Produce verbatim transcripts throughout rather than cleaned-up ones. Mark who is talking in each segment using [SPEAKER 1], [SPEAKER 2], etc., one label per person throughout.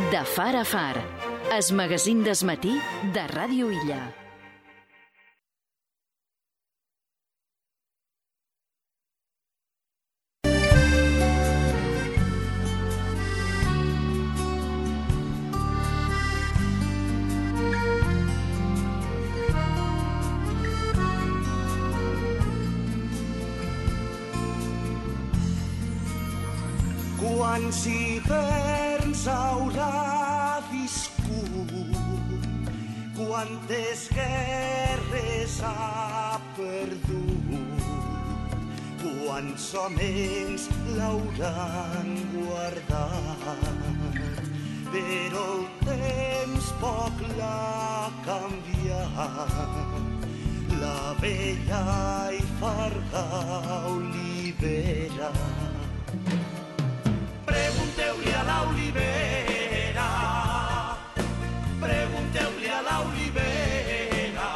[SPEAKER 1] De far a far, es magazín des matí de Ràdio Illa.
[SPEAKER 2] Quants hiverns haurà viscut, quantes guerres ha perdut, quants homes l'hauran guardat, però el temps poc l'ha canviat, la vella i farda olivera. Pregunteu-li a l'olivera, pregunteu-li a l'olivera,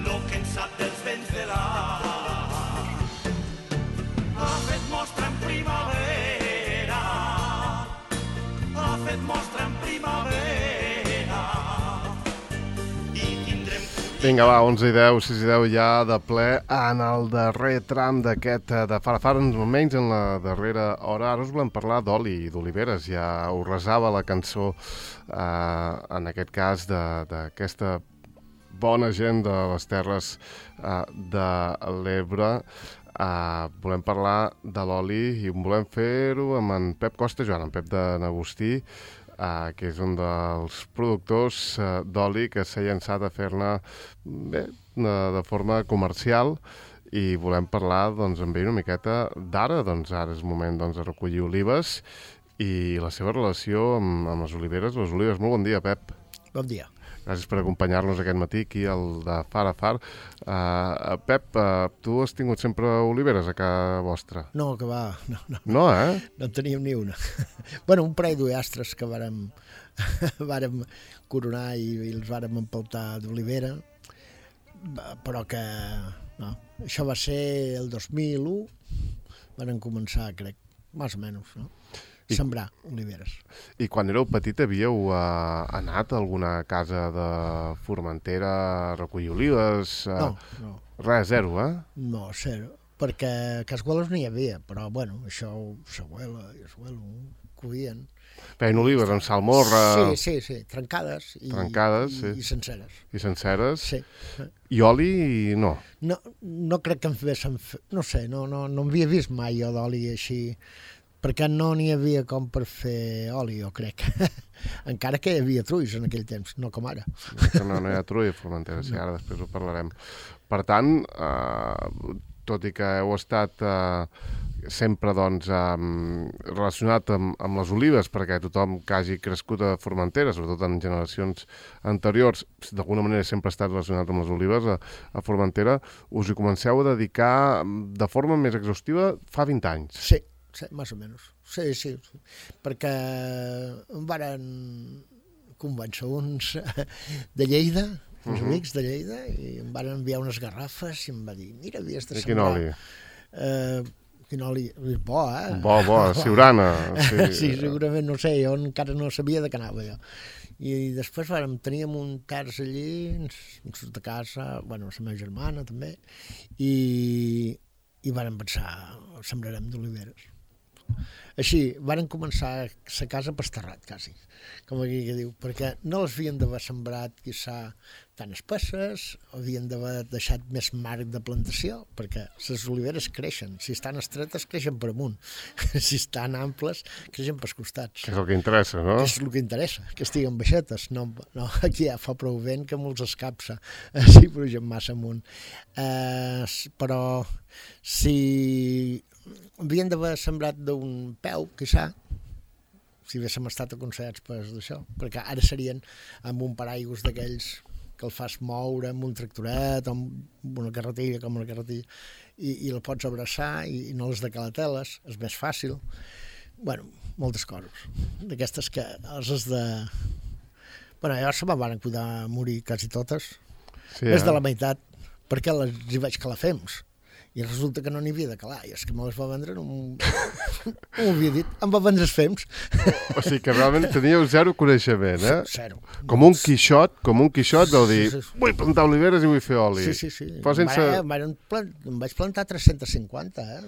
[SPEAKER 2] lo que en sap dels vents de l'art. Ha fet mostra en primavera, ha fet mostra en primavera, i tindrem...
[SPEAKER 3] Vinga, va, onze i deu, sis i deu ja de ple en el darrer tram d'aquest de far a far, almenys en la darrera hora. Ara us volem parlar d'oli i d'oliveres. Ja us resava la cançó, eh, en aquest cas, d'aquesta bona gent de les terres eh, de l'Ebre. Eh, volem parlar de l'oli i volem fer-ho amb en Pep Costa Joan, en Pep de Nagostí, Uh, que és un dels productors uh, d'oli que s'ha llançat a fer-ne bé, de, de forma comercial, i volem parlar doncs, amb ell una miqueta d'ara. Doncs ara és moment doncs, de recollir olives i la seva relació amb, amb les oliveres. Les olives. Molt bon dia, Pep.
[SPEAKER 4] Bon dia.
[SPEAKER 3] Gràcies per acompanyar-nos aquest matí aquí al de Far a Far. Uh, Pep, uh, tu has tingut sempre oliveres a casa vostra?
[SPEAKER 4] No, que va. No, no,
[SPEAKER 3] no eh?
[SPEAKER 4] No en teníem ni una. Bueno, un parell d'ullastres que vàrem, vàrem coronar i, i els vàrem empaltar d'olivera, però que... No. Això va ser el dos mil u, vàrem començar, crec, més o menys, no? I, sembrar oliveres.
[SPEAKER 3] I quan éreu petit havíeu uh, anat a alguna casa de Formentera a recollir olives? Uh,
[SPEAKER 4] no, no.
[SPEAKER 3] Res, zero, eh?
[SPEAKER 4] No, zero, perquè a Casgueles no hi havia, però bueno, això s'abuela i s'abuelo, cuien.
[SPEAKER 3] Feien olives amb salmorra...
[SPEAKER 4] Sí, sí, sí, trencades i,
[SPEAKER 3] trencades,
[SPEAKER 4] i,
[SPEAKER 3] sí.
[SPEAKER 4] i senceres.
[SPEAKER 3] I senceres?
[SPEAKER 4] Sí.
[SPEAKER 3] I oli, no?
[SPEAKER 4] No, no crec que em fessin... No sé, no, no, no havia vist mai jo d'oli així, perquè no n'hi havia com per fer oli, jo crec. Encara que hi havia trulls en aquell temps, no com ara.
[SPEAKER 3] No, no hi ha trull a Formentera, sí, ara després ho parlarem. Per tant, eh, tot i que heu estat eh, sempre doncs, eh, relacionat amb, amb les olives, perquè tothom que hagi crescut a Formentera, sobretot en generacions anteriors, d'alguna manera sempre ha estat relacionat amb les olives a, a Formentera, us hi comenceu a dedicar de forma més exhaustiva fa vint anys.
[SPEAKER 4] Sí. Sí, més o menys. Sí, sí, sí. Perquè em varen convèncer uns de Lleida, uns uh-huh. amics de Lleida, i em van enviar unes garrafes i em va dir, mira, havies de sembrar...
[SPEAKER 3] I quin oli?
[SPEAKER 4] Uh, quin oli? Bo, eh?
[SPEAKER 3] Bo, bo, Siurana.
[SPEAKER 4] Sí. Sí, segurament, no sé, jo encara no sabia de què anava jo. I després vàrem, teníem un terç allí, de casa, bueno, la meva germana també, i, i vàrem pensar, sembrarem d'oliveres. Així, varen començar la casa pasterrat, quasi, com aquí que diu, perquè no les havien d'haver sembrat, quizà, tan espesses, havien d'haver deixat més marc de plantació, perquè les oliveres creixen, si estan estretes creixen per amunt, si estan amples creixen pels costats.
[SPEAKER 3] Que és el que interessa, no?
[SPEAKER 4] Que és el que interessa, que estiguen baixetes, no, no aquí ja fa prou vent que molts escapsa, si pugen massa amunt. Eh, però si... havien d'haver sembrat d'un peu, quizà, si haguéssim estat aconsellats per això, perquè ara serien amb un paraigües d'aquells que el fas moure amb un tractoret, amb una carretilla, com una carretilla, i, i la pots abraçar i, i no les de calateles, és més fàcil. Bueno, moltes coses. D'aquestes que els has de... Bueno, llavors se me'n van cuidar a morir quasi totes, sí, més eh? de la meitat, perquè les hi vaig calar fems. I resulta que no n'hi havia de calar, i és que me les va vendre, no m'ho no havia dit, em va vendre els fems.
[SPEAKER 3] O sigui que realment teníeu zero coneixement, eh?
[SPEAKER 4] Zero.
[SPEAKER 3] Com un quixot, com un quixot de dir,
[SPEAKER 4] Sí, sí, sí.
[SPEAKER 3] vull plantar oliveres i vull fer oli.
[SPEAKER 4] Sí, sí, sí.
[SPEAKER 3] Però sense...
[SPEAKER 4] Em, van plant... em vaig plantar tres-cents cinquanta, eh?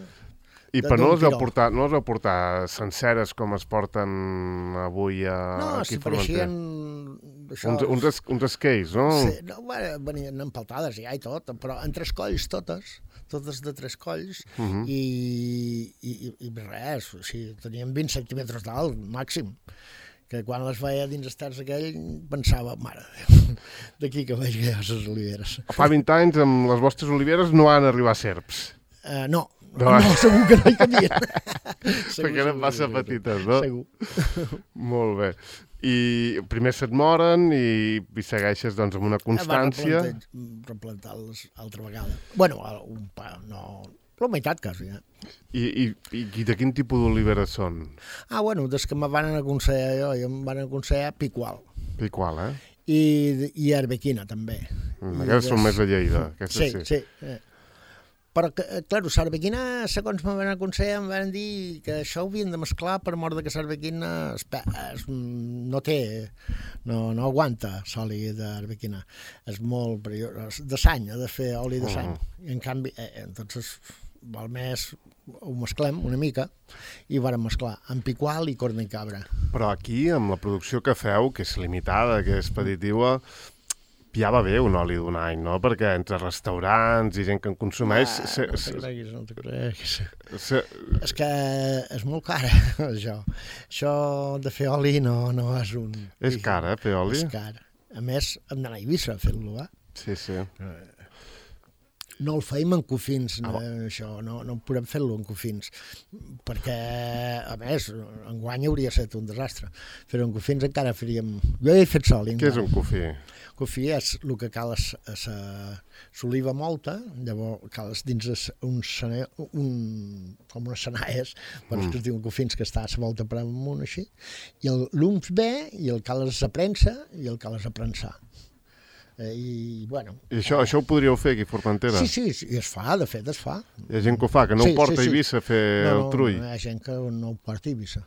[SPEAKER 3] I
[SPEAKER 4] de-
[SPEAKER 3] però no
[SPEAKER 4] d'un
[SPEAKER 3] les vau
[SPEAKER 4] tiró.
[SPEAKER 3] portar, no les vau portar senceres com es porten avui a,
[SPEAKER 4] No,
[SPEAKER 3] aquí
[SPEAKER 4] si
[SPEAKER 3] a Formentera?
[SPEAKER 4] pareixien... Això,
[SPEAKER 3] Uns, uns, es, uns esqueis, no?
[SPEAKER 4] Sí, no, bueno, venien empaltades ja i tot, però en tres colls totes, totes de tres colls,
[SPEAKER 3] Uh -huh.
[SPEAKER 4] i, i, i res, o sigui, tenien vint centímetres d'alt, màxim, que quan les veia dins els terç aquell pensava, mare de Déu, d'aquí que veig que hi ha les oliveres.
[SPEAKER 3] Fa vint anys amb les vostres oliveres no han arribat serps.
[SPEAKER 4] Uh, no,
[SPEAKER 3] No.
[SPEAKER 4] no, no, segur que no hi cabien.
[SPEAKER 3] Perquè eren massa petites, no?
[SPEAKER 4] Segur.
[SPEAKER 3] Molt bé. I primer se't moren i, i segueixes doncs, amb una constància.
[SPEAKER 4] Va replantar- replantar-les altra vegada. Bueno, un pa, no... La meitat, quasi, eh?
[SPEAKER 3] I, i, i, i de quin tipus d'oliveres són?
[SPEAKER 4] Ah, bueno, des que me van aconsellar jo, i em van aconsellar Picual.
[SPEAKER 3] Piqual, eh?
[SPEAKER 4] I, i Arbequina, també.
[SPEAKER 3] Mm,
[SPEAKER 4] I
[SPEAKER 3] aquestes són
[SPEAKER 4] des-
[SPEAKER 3] més de Lleida. Aquestes
[SPEAKER 4] Sí,
[SPEAKER 3] sí.
[SPEAKER 4] sí. Eh. Però, que, eh, clar, Sarbequina, segons me van aconsellar, em van dir que això ho havien de mesclar per mort de que Sarbequina es, pe- es, no té, no, no aguanta s'oli d'arbequina. És molt perillós. De sany, ha de fer oli de sany. I en canvi, eh, entonces, val més ho mesclem una mica i vàrem mesclar amb picual i corna i cabra.
[SPEAKER 3] Però aquí, amb la producció que feu, que és limitada, que és petitiva, ja va bé un oli d'un any, no? Perquè entre restaurants i gent que en consumeix...
[SPEAKER 4] Ah,
[SPEAKER 3] se,
[SPEAKER 4] no
[SPEAKER 3] se,
[SPEAKER 4] te creguis, no te creguis.
[SPEAKER 3] se,
[SPEAKER 4] És que és molt cara, això. Això de fer oli no, no és un...
[SPEAKER 3] és car, eh, fer oli?
[SPEAKER 4] És car. A més, hem d'anar a Eivissa a fer-lo, eh?
[SPEAKER 3] Sí, sí.
[SPEAKER 4] No el feim en cofins,
[SPEAKER 3] Ah,
[SPEAKER 4] no, això, no, no podem fer-lo en cofins, perquè, a més, enguany hauria estat un desastre. Fer-ho en cofins encara faríem... Jo he fet sol.
[SPEAKER 3] Què és un cofí?
[SPEAKER 4] Cofí és el que cal és, és s'oliva molta, llavors cal és dins es, un, sene, un, com unes senaies, per mm. que es diuen cofins, que està a la volta per amunt així, i el l'ums bé, i el cal és a premsa, i el cal és a prensar. Eh, I, bueno...
[SPEAKER 3] I això, això ho podríeu fer aquí a Formentera?
[SPEAKER 4] Sí, sí, sí, es fa, de fet es fa.
[SPEAKER 3] Hi ha gent que ho fa, que no
[SPEAKER 4] Sí,
[SPEAKER 3] ho porta
[SPEAKER 4] sí,
[SPEAKER 3] a
[SPEAKER 4] sí.
[SPEAKER 3] Eivissa a fer
[SPEAKER 4] No,
[SPEAKER 3] el trull.
[SPEAKER 4] no, hi ha gent que no ho porta a Eivissa.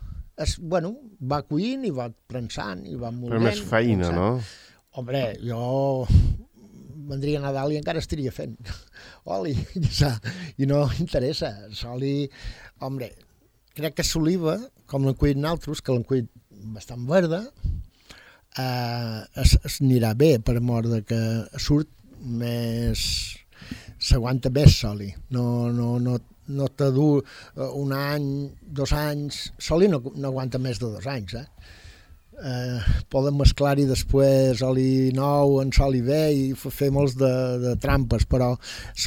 [SPEAKER 4] És, bueno, va cuint i va prensant i va moldent.
[SPEAKER 3] Però més feina,
[SPEAKER 4] prensant.
[SPEAKER 3] no?
[SPEAKER 4] Hombre, jo vendria a Nadal i encara estaria fent oli, i no interessa. L'oli, hombre, crec que l'oliva, com l'hem cuit nosaltres, que l'hem cuit bastant verda, eh, es, es anirà bé per mort de que surt més... s'aguanta més l'oli. No, no, no, no te du un any, dos anys... L'oli no, no aguanta més de dos anys, eh? Eh, poden mesclar-hi després oli nou en oli bé i fer molts de, de trampes, però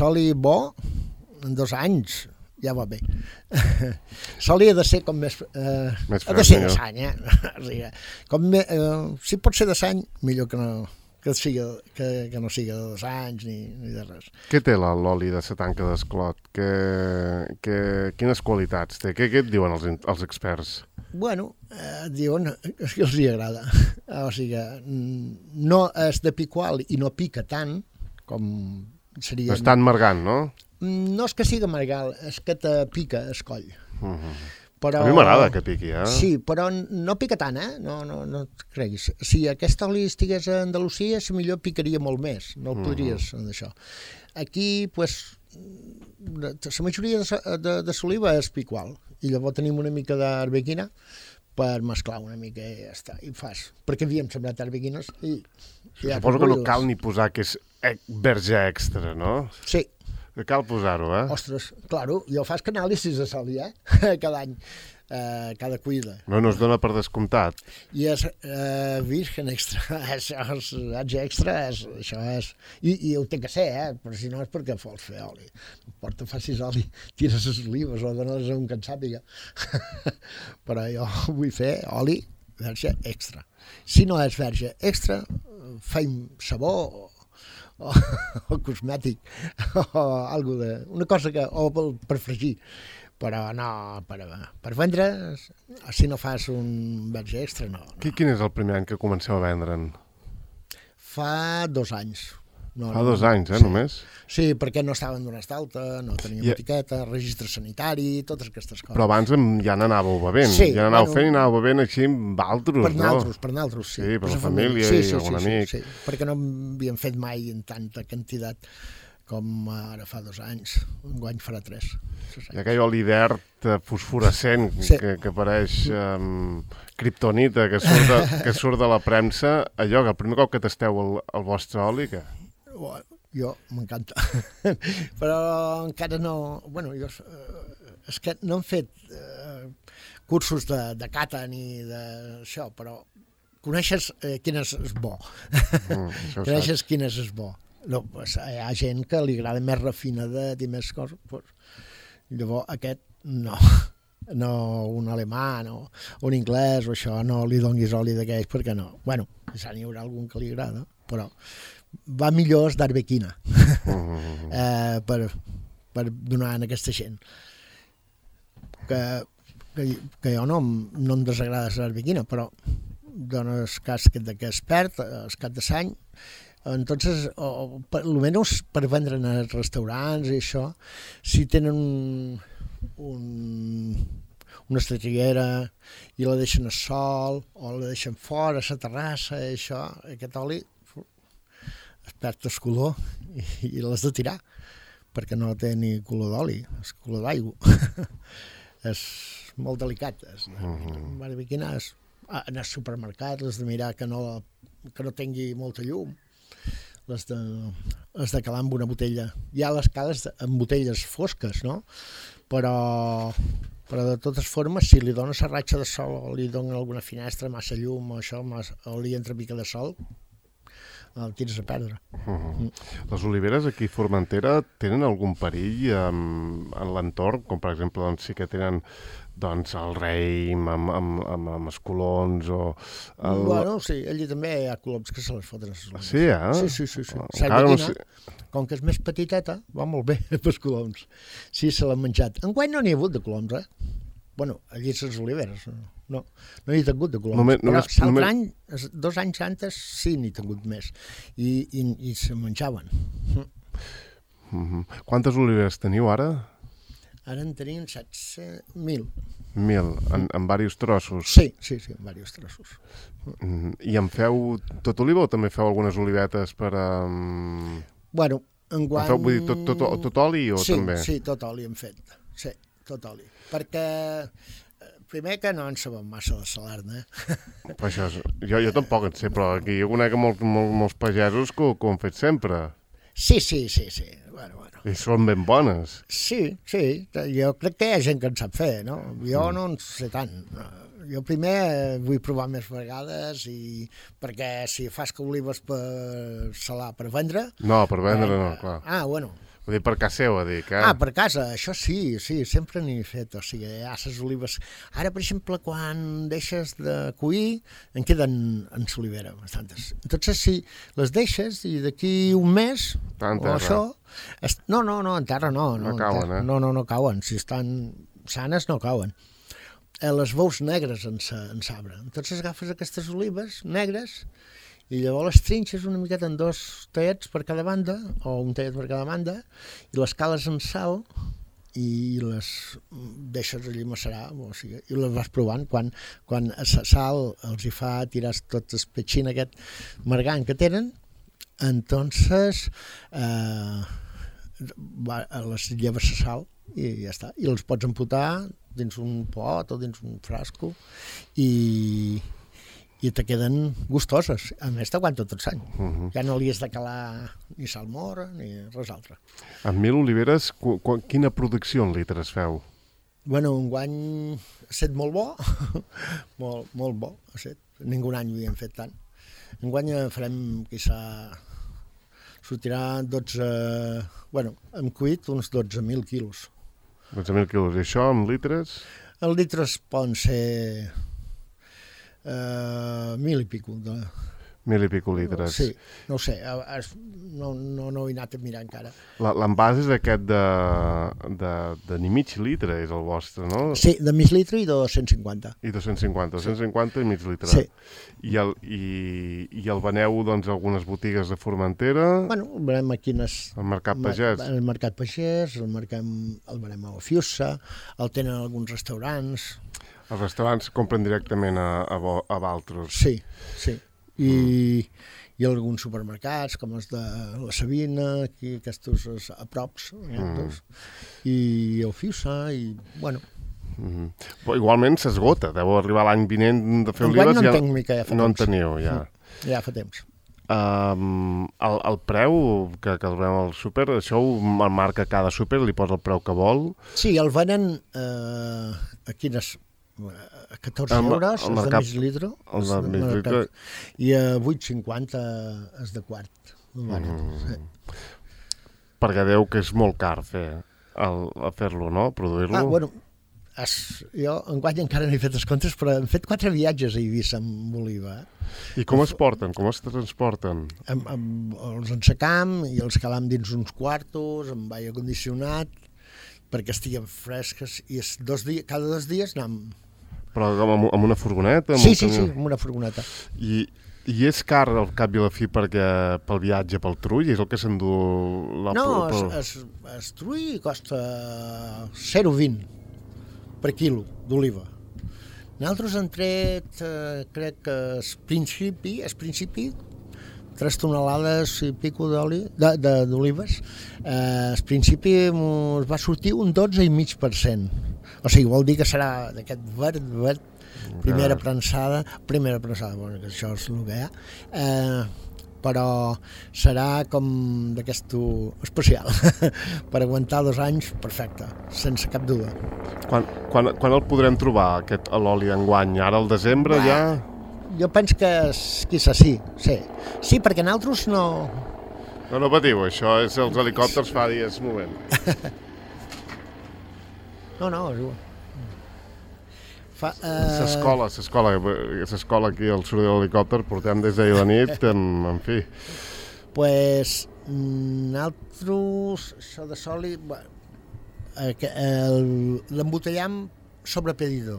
[SPEAKER 4] l'oli bo en dos anys ja va bé. L'oli ha de ser com més... Eh,
[SPEAKER 3] Més
[SPEAKER 4] ha de
[SPEAKER 3] fresc,
[SPEAKER 4] ser de
[SPEAKER 3] millor.
[SPEAKER 4] sany, eh? O sigui, com me, eh, si pot ser de sany, millor que no, que, siga, que, que no siga de dos anys ni, ni de res.
[SPEAKER 3] Què té la- l'oli de la tanca d'esclot? Que, que, quines qualitats té? Què, què et diuen els, in- els experts?
[SPEAKER 4] Bueno, eh, diuen que els hi agrada. O sigui, mm, no és de picual i no pica tant com seria...
[SPEAKER 3] Està emmargant, no?
[SPEAKER 4] No és que siga margal, és que te pica el coll.
[SPEAKER 3] Uh -huh.
[SPEAKER 4] Però...
[SPEAKER 3] A mi m'agrada que piqui, eh?
[SPEAKER 4] Sí, però no pica tant, eh? No, no, no et creguis. Si aquest oli estigués a Andalusia, si millor picaria molt més. No el podries, uh-huh. d'això. Aquí, pues, la majoria de, de, de l'oliva és picual. I llavors tenim una mica d'arbequina per mesclar una mica i ja està. I fas. Perquè havíem sembrat arbequines i... Ja
[SPEAKER 3] Suposo que no cal ni posar que és e- verge extra, no?
[SPEAKER 4] Sí.
[SPEAKER 3] Que cal posar-ho, eh?
[SPEAKER 4] Ostres, claro, jo faig anàlisis de soli, eh? Cada any, eh, cada cuida.
[SPEAKER 3] No, no es dona per descomptat.
[SPEAKER 4] I és eh, virgen extra, això és verge extra, és, això és... I, I ho té que ser, eh? Però si no és perquè vols fer oli. No importa, facis oli, tires les olives o dones a un que en sàpiga. Però jo vull fer oli verge extra. Si no és verge extra, feim sabó o, o, o cosmètic o algo de, una cosa que o per, per fregir, però no per, per vendre, si no fas un verge extra, no, no.
[SPEAKER 3] Quin és el primer any que comenceu a vendre'n?
[SPEAKER 4] Fa dos anys. No,
[SPEAKER 3] Fa dos anys, eh,
[SPEAKER 4] sí.
[SPEAKER 3] només?
[SPEAKER 4] Sí, perquè no estaven donats d'alta, no teníem
[SPEAKER 3] I-
[SPEAKER 4] etiqueta, registre sanitari, totes aquestes coses.
[SPEAKER 3] Però abans em- ja n'anàveu bevent.
[SPEAKER 4] Sí,
[SPEAKER 3] ja n'anàveu
[SPEAKER 4] bueno,
[SPEAKER 3] fent i anàveu bevent així amb altres,
[SPEAKER 4] Per
[SPEAKER 3] no?
[SPEAKER 4] naltros, per naltros, sí.
[SPEAKER 3] Sí, per la
[SPEAKER 4] sa
[SPEAKER 3] família
[SPEAKER 4] sí,
[SPEAKER 3] i
[SPEAKER 4] sí,
[SPEAKER 3] algun
[SPEAKER 4] sí,
[SPEAKER 3] amic.
[SPEAKER 4] Sí, sí, perquè no havíem fet mai en tanta quantitat com ara fa dos anys. Enguany farà tres.
[SPEAKER 3] Hi ha aquell oli verd eh, fosforescent
[SPEAKER 4] Sí.
[SPEAKER 3] que, que pareix um, kriptonita, que surt, de, que surt de la premsa. Allò, que el primer cop que tasteu el, el vostre oli, què?
[SPEAKER 4] Bueno, jo m'encanta. Però encara no... Bueno, jo, eh, és que no hem fet eh, cursos de, de cata ni d'això, però coneixes eh, quin és, és bo.
[SPEAKER 3] Mm, això ho
[SPEAKER 4] Coneixes quin és, és bo. No, pues, hi ha gent que li agrada més refinada i més coses. Pues, llavors aquest no. No un alemà, no un anglès o això, no li donguis oli d'aquells perquè no. Bueno, ja n'hi haurà algun que li agrada, però va millor es d'arbequina eh, per, per donar a aquesta gent. Que, que, que jo no, no em desagrada l'arbequina, però dones cas que, que es perd, es cap de s'any, entonces, o, per, almenys per vendre en els restaurants i això, si tenen un, un, una estatillera i la deixen a sol o la deixen fora a la terrassa i això, aquest oli es perd el color i, i l'has de tirar perquè no té ni color d'oli, és color d'aigua. És molt delicat. És, mm-hmm. Barbequina és anar al supermercat, has de mirar que no, que no tingui molta llum, les de, les de calar amb una botella. Hi ha les cales de, amb botelles fosques, no? Però, però de totes formes, si li dones a ratxa de sol o li donen alguna finestra, massa llum o això, massa, o li entra mica de sol, el tires a perdre.
[SPEAKER 3] Uh-huh. Les oliveres aquí a Formentera tenen algun perill en, en l'entorn? Com per exemple, doncs, sí que tenen doncs, el raïm amb, amb, amb, amb els colons o... El...
[SPEAKER 4] Bueno, sí, allí també hi ha coloms que se les foten a les oliveres.
[SPEAKER 3] Sí, eh?
[SPEAKER 4] Sí, sí, sí. sí.
[SPEAKER 3] Encara no sé...
[SPEAKER 4] Com que és més petiteta, va molt bé pels coloms. Sí, se l'han menjat. Enguany no n'hi ha hagut de coloms, eh? Bueno, allí a les oliveres, no, no n'hi ha tingut de coloms.
[SPEAKER 3] Només,
[SPEAKER 4] però
[SPEAKER 3] només,
[SPEAKER 4] l'altre
[SPEAKER 3] només...
[SPEAKER 4] any, dos anys antes, sí n'hi ha tingut més. I, i, i se menjaven.
[SPEAKER 3] Uh-huh. Quantes oliveres teniu ara?
[SPEAKER 4] Ara en tenim setze mil.
[SPEAKER 3] Mil, en, en diversos trossos.
[SPEAKER 4] Sí, sí, sí, en diversos trossos.
[SPEAKER 3] Uh-huh. I en feu tot oliva o també feu algunes olivetes per a... Um...
[SPEAKER 4] Bueno, enguany...
[SPEAKER 3] Feu, vull dir, tot, tot, tot oli o
[SPEAKER 4] sí,
[SPEAKER 3] també?
[SPEAKER 4] Sí, tot oli hem fet. Sí, tot oli. Perquè, primer que no en sabem massa de salar-ne. Eh?
[SPEAKER 3] Això és, jo, jo tampoc en sé, però aquí jo conec molt, molt, molts pagesos que, que ho han fet sempre.
[SPEAKER 4] Sí, sí, sí, sí. Bueno, bueno.
[SPEAKER 3] I són ben bones.
[SPEAKER 4] Sí, sí. Jo crec que hi ha gent que en sap fer, no? Jo no en sé tant. Jo primer vull provar més vegades i perquè si fas que olives per salar, per vendre...
[SPEAKER 3] No, per vendre
[SPEAKER 4] eh,
[SPEAKER 3] no, clar.
[SPEAKER 4] Ah, bueno.
[SPEAKER 3] Vull dir, per casa seva, dic, eh?
[SPEAKER 4] Ah, per casa, això sí, sí, sempre n'hi he fet, o sigui, hi ha les olives... Ara, per exemple, quan deixes de cuir, en queden en l'olivera bastantes. Entonces, si les deixes i d'aquí un mes,
[SPEAKER 3] Tant
[SPEAKER 4] o això... Es... No, no, no, en terra no.
[SPEAKER 3] No
[SPEAKER 4] en
[SPEAKER 3] cauen,
[SPEAKER 4] terra,
[SPEAKER 3] eh?
[SPEAKER 4] No, no, no cauen, si estan sanes no cauen. Eh, les veus negres en l'arbre. Entonces agafes aquestes olives negres i llavors les trinxes una miqueta en dos tallets per cada banda, o un tallet per cada banda, i les cales en sal i les deixes allí macerar, o sigui, i les vas provant. Quan, quan la sal els hi fa tirar tot el petxín aquest margant que tenen, entonces eh, va, les lleves la sal i ja està. I els pots emputar dins un pot o dins un frasco i... i te queden gustoses. A més, t'aguanta tot l'any. Uh-huh. Ja no li has de calar ni salmorra ni res altre.
[SPEAKER 3] Amb mil oliveres, qu qu quina producció en litres feu?
[SPEAKER 4] Bueno, enguany ha estat molt bo, molt, molt bo. Ha estat. Ningú any ho havíem fet tant. Enguany farem, quizà, sortirà dotze... Bueno, hem cuit uns dotze mil quilos.
[SPEAKER 3] dotze mil quilos. I això, amb litres?
[SPEAKER 4] Els litres poden ser... Uh, mil i pico de...
[SPEAKER 3] Mil i pico litres.
[SPEAKER 4] Sí, no ho sé, es, no, no, no ho he anat a mirar encara.
[SPEAKER 3] L'envàs és aquest de, de, de ni mig litre, és el vostre, no?
[SPEAKER 4] Sí, de mig litre i de dos-cents cinquanta.
[SPEAKER 3] I dos-cents cinquanta, dos-cents cinquanta i mig litre.
[SPEAKER 4] Sí.
[SPEAKER 3] I el, i, i el veneu, doncs, a algunes botigues de Formentera?
[SPEAKER 4] Bueno, el venem a quines...
[SPEAKER 3] Al Mercat Pagès?
[SPEAKER 4] El Mercat Pagès, el, mercam, el venem a Ofiusa, el tenen alguns restaurants...
[SPEAKER 3] Els restaurants compren directament a, a, a Valtros?
[SPEAKER 4] Sí, sí. I, mm. i alguns supermercats, com els de la Sabina, aquí, aquests a props, mm. i el Fiusa, i, bueno...
[SPEAKER 3] Mm. Però igualment s'esgota, deu arribar l'any vinent de fer
[SPEAKER 4] olives...
[SPEAKER 3] No
[SPEAKER 4] en tenc mica, ja fa
[SPEAKER 3] no
[SPEAKER 4] temps.
[SPEAKER 3] en teniu, ja.
[SPEAKER 4] Mm. Ja fa temps.
[SPEAKER 3] Um, el, el preu que, que el veiem al súper, això ho marca cada súper, li posa el preu que vol?
[SPEAKER 4] Sí, el venen eh, a quines... a catorze
[SPEAKER 3] el,
[SPEAKER 4] euros,
[SPEAKER 3] el
[SPEAKER 4] és de mig litre,
[SPEAKER 3] el de mig litre.
[SPEAKER 4] I a vuit cinquanta és de quart. Mm. Sí.
[SPEAKER 3] Perquè deu que és molt car fer el, fer-lo, no? Produir-lo.
[SPEAKER 4] Ah, bueno, es, jo enguany encara no he fet els comptes, però hem fet quatre viatges a Eivissa amb oliva.
[SPEAKER 3] I com es porten? Com es transporten?
[SPEAKER 4] Amb, amb, els ensecam i els calam dins uns quartos, amb aire condicionat, perquè estiguen fresques, i és dos dies, cada dos dies anem...
[SPEAKER 3] Però amb, amb una furgoneta? Amb
[SPEAKER 4] sí,
[SPEAKER 3] un
[SPEAKER 4] sí,
[SPEAKER 3] camió?
[SPEAKER 4] sí, amb una furgoneta.
[SPEAKER 3] I, I és car al cap i a la fi perquè pel viatge, pel trull, és el que s'endú... La
[SPEAKER 4] No,
[SPEAKER 3] pel...
[SPEAKER 4] es, es, es trull costa zero coma vint per quilo d'oliva. Nosaltres hem tret, eh, crec que al principi, al principi, tres tonelades i pico d'oli, d'olives, eh, al principi ens va sortir un dotze i mig per cent. O sigui, vol dir que serà d'aquest verd, verd, primera prensada, primera prensada, bueno, que això és el que hi ha, eh, però serà com d'aquest especial, per aguantar dos anys, perfecte, sense cap duda.
[SPEAKER 3] Quan, quan, quan el podrem trobar, aquest l'oli d'enguany? Ara al desembre
[SPEAKER 4] Va,
[SPEAKER 3] ja?
[SPEAKER 4] Jo penso que quizá sí, sí. Sí, perquè nosaltres no...
[SPEAKER 3] No, no patiu, això és els helicòpters fa dies, un moment.
[SPEAKER 4] No, no, és igual. Fa, eh...
[SPEAKER 3] S'escola, s'escola, s'escola aquí al soroll de l'helicòpter, portem des d'ahir la nit, en, en fi.
[SPEAKER 4] Pues nosaltres, això de soli, l'embotellam sobre pedidor,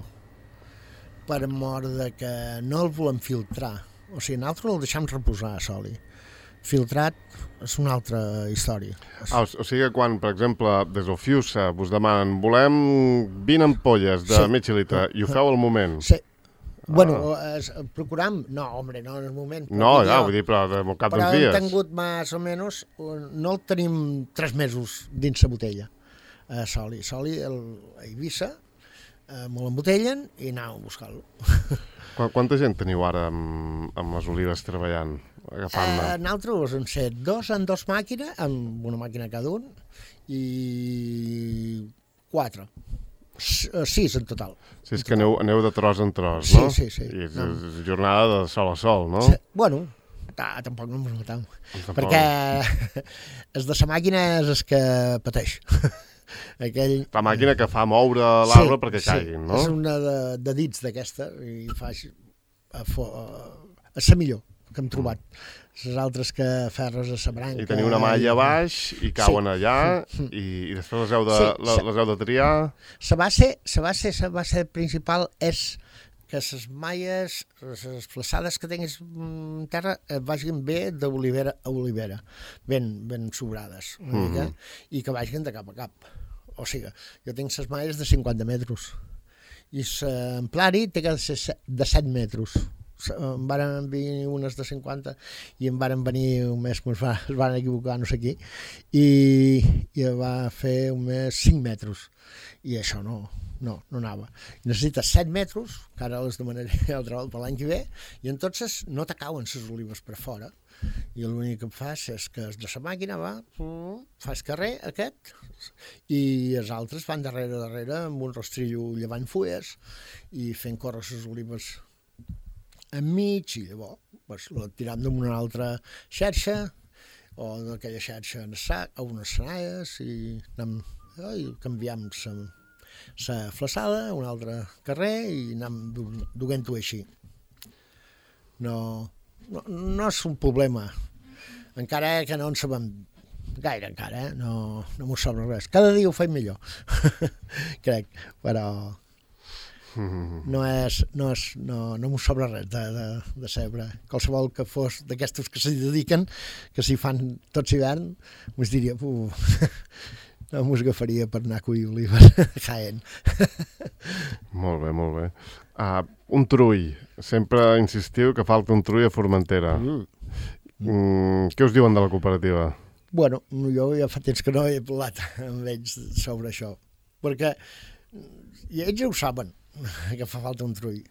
[SPEAKER 4] per mort de que no el volem filtrar. O sigui, nosaltres el deixem reposar a soli. Filtrat és una altra història.
[SPEAKER 3] Ah, o, o sigui que quan, per exemple, des del Fiusa vos demanen volem vint ampolles de sí. mig litre i ho feu al moment?
[SPEAKER 4] Sí. Ah. Bueno, es, procuram... No, home, no en el moment.
[SPEAKER 3] No, ja, vull dir, però al cap
[SPEAKER 4] però
[SPEAKER 3] d'uns dies.
[SPEAKER 4] Però hem tingut més o menys... No el tenim tres mesos dins la botella. A Soli. Soli, el, a Eivissa, eh, me l'embotellen i anàvem a buscar-lo.
[SPEAKER 3] Quanta gent teniu ara amb, amb les olives treballant? Agafant-ne?
[SPEAKER 4] Eh, nosaltres hem set dos en dos màquines, amb una màquina cada un, i quatre. Sis en total.
[SPEAKER 3] Si és que aneu, aneu de tros en tros,
[SPEAKER 4] sí,
[SPEAKER 3] no?
[SPEAKER 4] Sí, sí, sí.
[SPEAKER 3] I és, no. és jornada de sol a sol, no?
[SPEAKER 4] Sí. Bueno, tampoc no ens matem. Perquè el de la màquina és el que pateix. Aquell...
[SPEAKER 3] La màquina que fa moure l'arbre sí, perquè
[SPEAKER 4] sí.
[SPEAKER 3] caiguin, no?
[SPEAKER 4] És una de, de dits d'aquesta i fa a, fo, a, a ser millor que hem trobat. Les altres que ferres a la branca...
[SPEAKER 3] I teniu una malla a baix i cauen sí. allà i, i després les heu de, sí, la, les heu de triar...
[SPEAKER 4] La base, la base, la base principal és que les malles, les flaçades que tinguis en terra vagin bé d'olivera a olivera, ben, ben sobrades una mm-hmm. mica, i que vagin de cap a cap. O sigui, jo tinc les malles de cinquanta metres i l'amplari té que ser de set metres. Em van venir unes de cinquanta i em van venir un mes que es van equivocar no sé qui i, i va fer un mes cinc metres i això no, no, no anava. Necessites set metres, que ara les demanaré altra volta per l'any que ve, i entonces no t'acauen les olives per fora i l'únic que fas és que de la màquina va, fas carrer aquest i els altres van darrere darrere amb un rastrillo llevant fulles i fent córrer les olives enmig i llavors pues, la tiram d'una altra xarxa o d'aquella xarxa en sac, a unes senalles i, anem, i canviem la flaçada a un altre carrer i anem duent-ho així. No, no, no és un problema. Encara que no en sabem gaire encara, eh? no, no m'ho sobra res. Cada dia ho faig millor, crec, però no és, no, és, no, no m'ho sobra res de, de, de saber. Qualsevol que fos d'aquestos que s'hi dediquen, que s'hi fan tots hivern, m'ho diria, no m'ho agafaria per anar a collir olives a Jaén.
[SPEAKER 3] Molt bé, molt bé. Uh, un trull. Sempre insistiu que falta un trull a Formentera. Mm. Mm, què us diuen de la cooperativa?
[SPEAKER 4] Bueno, jo ja fa temps que no he parlat amb ells sobre això, perquè i ells ja ho saben, que fa falta un trull.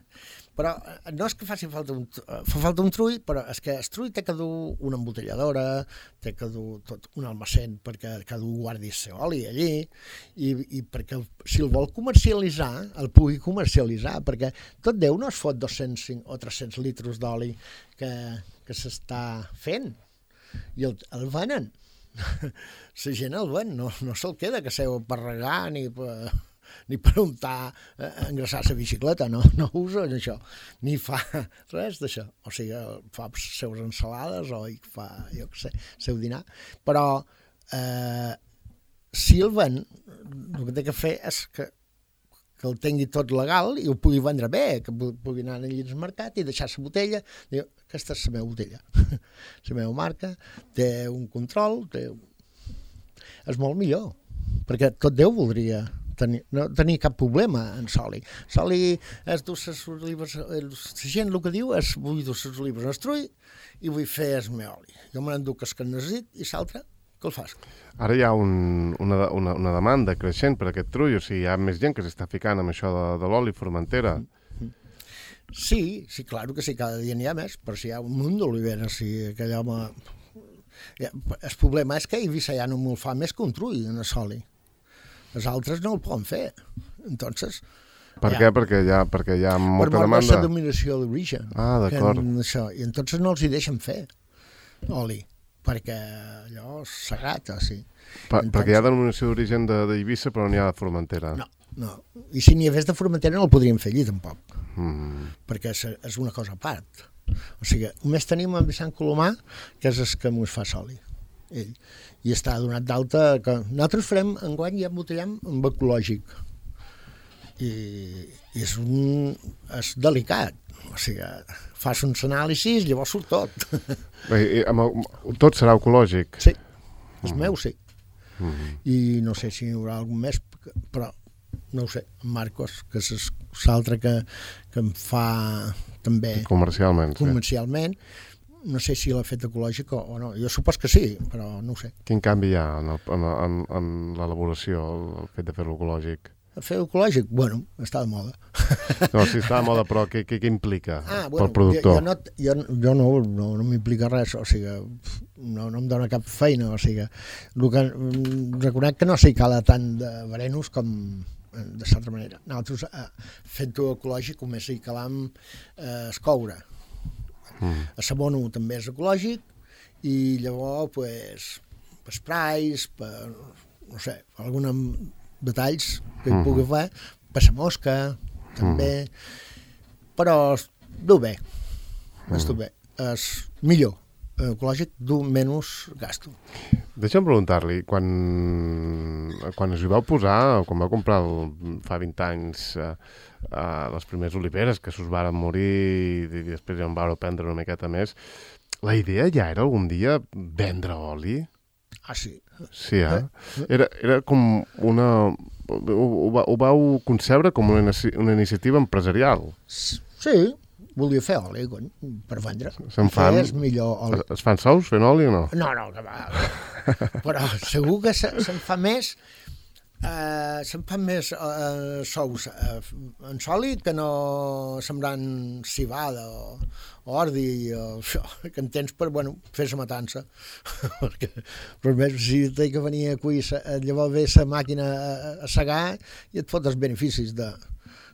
[SPEAKER 4] Però no és que faci falta un, fa falta un trull, però és que el trull té que dur una embotelladora, té que dur tot un almacén perquè cada un guardi el seu oli allí, i, i perquè si el vol comercialitzar, el pugui comercialitzar, perquè tot Déu no es fot dos-cents o tres-cents litres d'oli que, que s'està fent, i el, el venen. La gent el ven, no, no se'l queda que seu per regar ni per... ni per untar, eh, engraçar la bicicleta, no, no usa això, ni fa res d'això. O sigui, fa les seves ensalades o hi fa, jo què sé, el seu dinar. Però eh, si el ven, el que té que fer és que, que el tingui tot legal i ho pugui vendre bé, que pugui anar allà al mercat i deixar la botella, diu, aquesta és la meva botella, la meva marca, té un control, té... és molt millor, perquè tot Déu voldria tenir, no tenir cap problema en Soli. Soli és dur les olives, la gent el que diu és vull dur les olives en estrull i vull fer el meu oli. Jo me n'enduc el que necessit i l'altre que el fas.
[SPEAKER 3] Ara hi ha un, una, una, una demanda creixent per aquest trull, o sigui, hi ha més gent que s'està ficant amb això de, de l'oli Formentera.
[SPEAKER 4] Sí, sí, claro que sí, cada dia n'hi ha més, però si hi ha un munt d'oliveres, si aquell home... El problema és que a Eivissa ja no me'l fa més que un trull en el Soli. Els altres no el poden fer. Entonces,
[SPEAKER 3] per
[SPEAKER 4] ja,
[SPEAKER 3] què? Perquè hi ha, perquè hi ha molta
[SPEAKER 4] per
[SPEAKER 3] demanda?
[SPEAKER 4] Per la dominació d'origen.
[SPEAKER 3] Ah, d'acord.
[SPEAKER 4] I entonces no els hi deixen fer oli, perquè allò és sagrat, o sigui.
[SPEAKER 3] Per, entonces, perquè hi ha denominació d'origen d'Eivissa, però n'hi ha de Formentera.
[SPEAKER 4] No, no. I si n'hi hagués de Formentera no el podríem fer allí, tampoc. Mm. Perquè és, és una cosa a part. O sigui, només tenim en Vicent Colomà, que és el que mos fa soli, ell. I està donat d'alta que nosaltres farem, enguany ja embotellem amb ecològic. I, i és, un, és delicat. O sigui, fas uns anàlisis, llavors surt tot.
[SPEAKER 3] Bé, i, amb el, tot serà ecològic?
[SPEAKER 4] Sí, el mm. meu sí.
[SPEAKER 3] Mm.
[SPEAKER 4] I no sé si hi haurà algun més, però no ho sé, en Marcos, que és l'altre que, que em fa també...
[SPEAKER 3] Comercialment,
[SPEAKER 4] comercialment. Sí. No sé si l'ha fet ecològic o, o no. Jo supos que sí, però no ho sé.
[SPEAKER 3] Quin canvi hi ha en, el, en, en, en l'elaboració, el fet de fer-lo ecològic?
[SPEAKER 4] Fer-ho ecològic? Bueno, està de moda.
[SPEAKER 3] No, sí, està de moda, però què, què, què implica
[SPEAKER 4] ah, bueno,
[SPEAKER 3] pel productor?
[SPEAKER 4] Jo, jo, no, jo, jo no, no, no m'implica res, o sigui, no, no em dona cap feina, o sigui, el que, reconec que no sé cala tant de verenos com de certa manera. Nosaltres, eh, fent-ho ecològic, només hi calam eh, el coure. Mm. El sabono també és ecològic i llavors, pues, per sprays, per, no sé, alguns detalls que hi pugui fer, per la mosca, també, mm. però du bé, mm. du bé, és millor, ecològic du menys gasto.
[SPEAKER 3] Deixa'm preguntar-li, quan, quan us hi vau posar, quan vau comprar el, fa vint anys eh, eh, les primeres oliveres que s'us varen morir i, i després ja en vau prendre una miqueta més, la idea ja era algun dia vendre oli?
[SPEAKER 4] Ah, sí.
[SPEAKER 3] Sí, eh? Era, era com una... Ho, ho, ho vau concebre com una, una iniciativa empresarial?
[SPEAKER 4] Sí, volia fer oli, cony, per vendre.
[SPEAKER 3] Se'n fan?
[SPEAKER 4] És millor oli.
[SPEAKER 3] Es, es fan sous fent oli o no?
[SPEAKER 4] No, no, que va. Però segur que se, se'n fa més, eh, se'n fan més eh, sous eh, en soli que no sembrant civada o, o ordi o això, que en tens per, bueno, fer la matança. Perquè, però més, si t'he que venir a cuir, llavors ve la màquina a, a segar i et fot els beneficis de,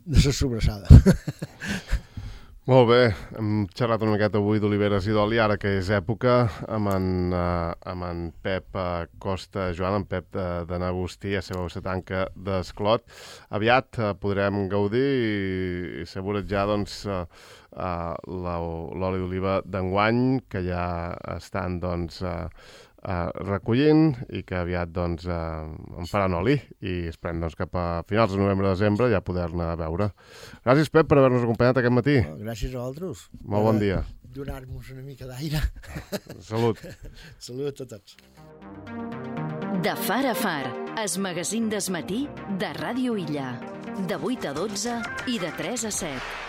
[SPEAKER 4] de la sobrassada.
[SPEAKER 3] Molt bé, hem xerrat una miqueta avui d'oliveres i d'oli, ara que és època, amb en, uh, amb en Pep uh, Costa Joan, en Pep de, de N'Agustí, a seva se tanca d'Esclot. Aviat uh, podrem gaudir i, i saborejar doncs, uh, uh, l'oli d'oliva d'enguany, que ja estan doncs, uh, Uh, recollint i que aviat doncs, uh, en faran oli i esperem doncs, cap a finals de novembre-desembre ja poder-ne veure. Gràcies, Pep, per haver-nos acompanyat aquest matí.
[SPEAKER 4] Oh, gràcies a vosaltres.
[SPEAKER 3] Molt bon dia.
[SPEAKER 4] Donar-nos una mica d'aire.
[SPEAKER 3] Salut.
[SPEAKER 4] Salut a tots.
[SPEAKER 1] De far a far, es magazín d'esmatí de Ràdio Illa. De vuit a dotze i de tres a set.